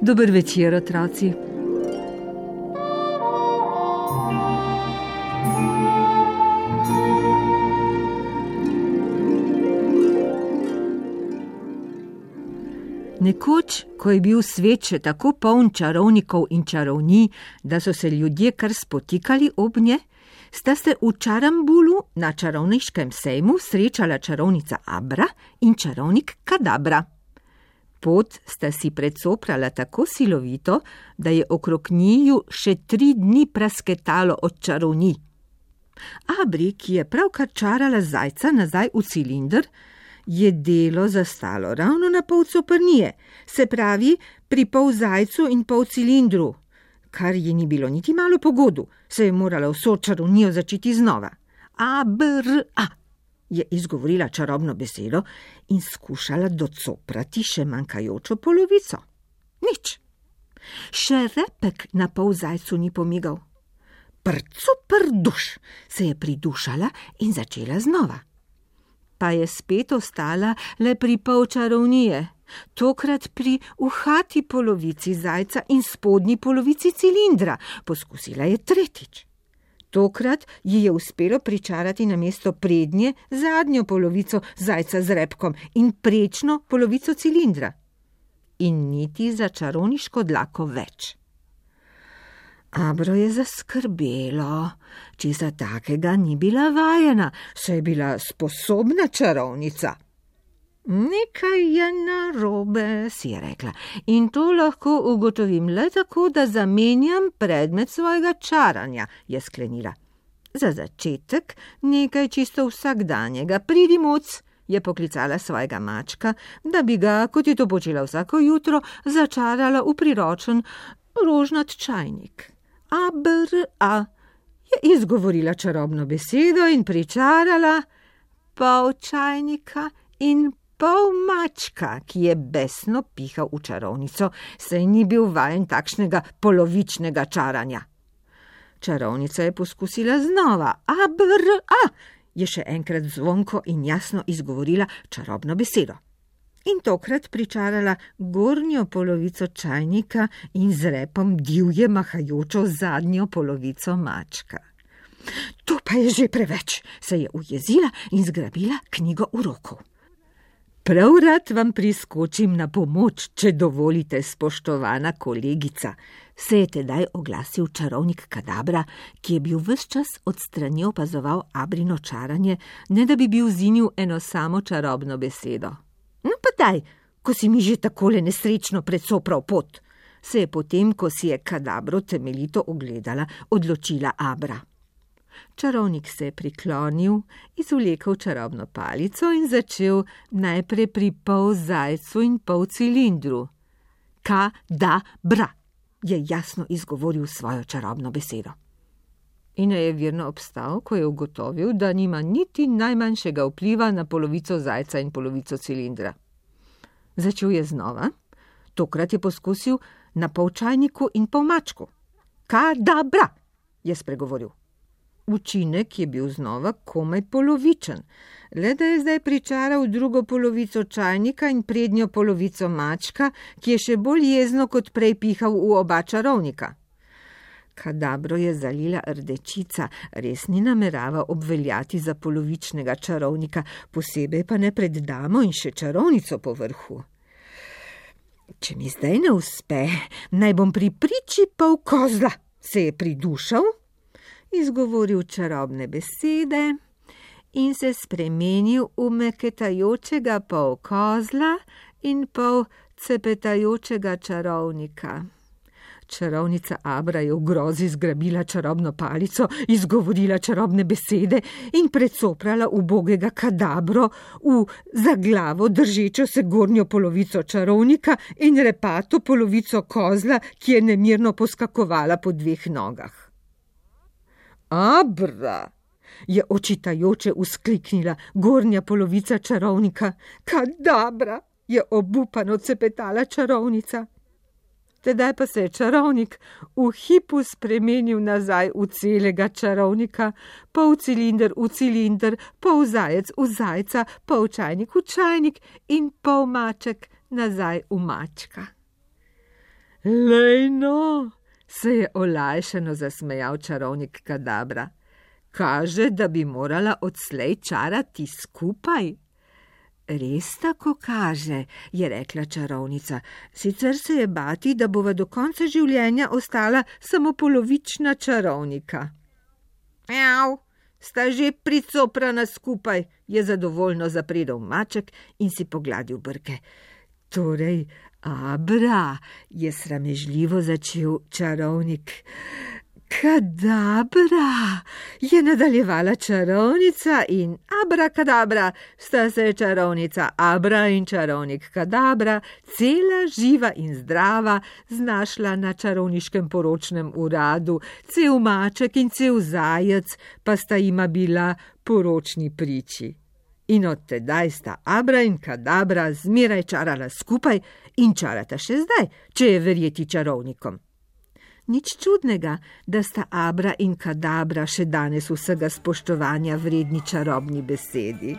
Dober večer, otroci. Nekoč, ko je bil svet še tako poln čarovnikov in čarovnij, da so se ljudje kar spotikali ob nje, sta se v Čarambulu na čarovniškem sejmu srečala čarovnica Abra in čarovnik Kadabra. Pot sta si predsoprala tako silovito, da je okrog njiju še 3 dni prasketalo od čarovnij. Abri, ki je pravkar čarala zajca nazaj v cilinder, je delo zastalo ravno na pol coprnije, se pravi pri pol zajcu in pol cilindru, kar ji ni bilo niti malo pogodu, se je morala vso čarovnijo začeti znova. A, je izgovorila čarobno besedo in skušala docoprati še manjkajočo polovico. Nič. Še repek na pol zajcu ni pomigal. Prduš se je pridušala in začela znova. Pa je spet ostala le pri pol čarovnije, tokrat pri uhati polovici zajca in spodnji polovici cilindra. Poskusila je tretjič. Tokrat ji je uspelo pričarati namesto prednje zadnjo polovico zajca z repkom in prečno polovico cilindra. In niti za čarovniško dlako več. Abro je zaskrbelo, česa takega ni bila vajena, saj je bila sposobna čarovnica. Nekaj je narobe, si je rekla, in to lahko ugotovim le tako, da zamenjam predmet svojega čaranja, je sklenila. Za začetek nekaj čisto vsakdanjega. Pridi, moc, je poklicala svojega mačka, da bi ga, kot je to počela vsako jutro, začarala v priročen rožnat čajnik. Abra, je izgovorila čarobno besedo in pričarala pol čajnika in pol mačka, ki je besno pihal v čarovnico, saj ni bil vajen takšnega polovičnega čaranja. Čarovnica je poskusila znova. Abra, je še enkrat zvonko in jasno izgovorila čarobno besedo. In tokrat pričarala gornjo polovico čajnika in z repom divje mahajočo zadnjo polovico mačka. To pa je že preveč, se je ujezila in zgrabila knjigo urokov. Prav rad vam priskočim na pomoč, če dovolite, spoštovana kolegica, se je tedaj oglasil čarovnik Kadabra, ki je bil ves čas od strani opazoval Abrino čaranje, ne da bi bil zinil eno samo čarobno besedo. No pa daj, ko si mi že takole nesrečno predsopral pot, se je potem, ko si je Kadabro temeljito ogledala, odločila Abra. Čarovnik se je priklonil, izvlekel čarobno palico in začel najprej pri pol zajcu in pol cilindru. Kadabra, je jasno izgovoril svojo čarobno besedo. In je verno obstal, ko je ugotovil, da nima niti najmanjšega vpliva na polovico zajca in polovico cilindra. Začel je znova, tokrat je poskusil na pol čajniku in pol mačku. Kadabra, je spregovoril. Učinek je bil znova komaj polovičen, le da je zdaj pričaral drugo polovico čajnika in prednjo polovico mačka, ki je še bolj jezno kot prej pihal v oba čarovnika. Kadabro je zalila rdečica, res ni namerava obveljati za polovičnega čarovnika, posebej pa ne pred damo in še čarovnico po vrhu. Če mi zdaj ne uspe, naj bom pri priči pol kozla, se je pridušal, izgovoril čarobne besede in se spremenil v meketajočega pol kozla in pol cepetajočega čarovnika. Čarovnica Abra je v grozi zgrabila čarobno palico, izgovorila čarobne besede in predsoprala ubogega Kadabro v za glavo držečo se gornjo polovico čarovnika in repato polovico kozla, ki je nemirno poskakovala po dveh nogah. Abra, je očitajoče vzkliknila gornja polovica čarovnika. Kadabra, je obupano cepetala čarovnica. Tedaj pa se je čarovnik v hipu spremenil nazaj v celega čarovnika, pol cilinder v cilinder, pol zajec v zajca, pol čajnik v čajnik in pol maček nazaj v mačka. Lejno, se je olajšano zasmejal čarovnik Kadabra. Kaže, da bi morala odslej čarati skupaj. Res tako kaže, je rekla čarovnica. Sicer se je bati, da bova do konca življenja ostala samo polovična čarovnika. Mjav, sta že pricoprana skupaj, je zadovoljno zapredel maček in si pogladil brke. Torej, Abra, je sramežljivo začel čarovnik. Kadabra, je nadaljevala čarovnica in abrakadabra, sta se čarovnica Abra in čarovnik Kadabra, cela živa in zdrava, znašla na čarovniškem poročnem uradu, cel maček in cel zajec pa sta jima bila poročni priči. In od tedaj sta Abra in Kadabra zmeraj čarala skupaj in čarata še zdaj, če je verjeti čarovnikom. Nič čudnega, da sta Abra in Kadabra še danes vsega spoštovanja vredni čarobni besedi.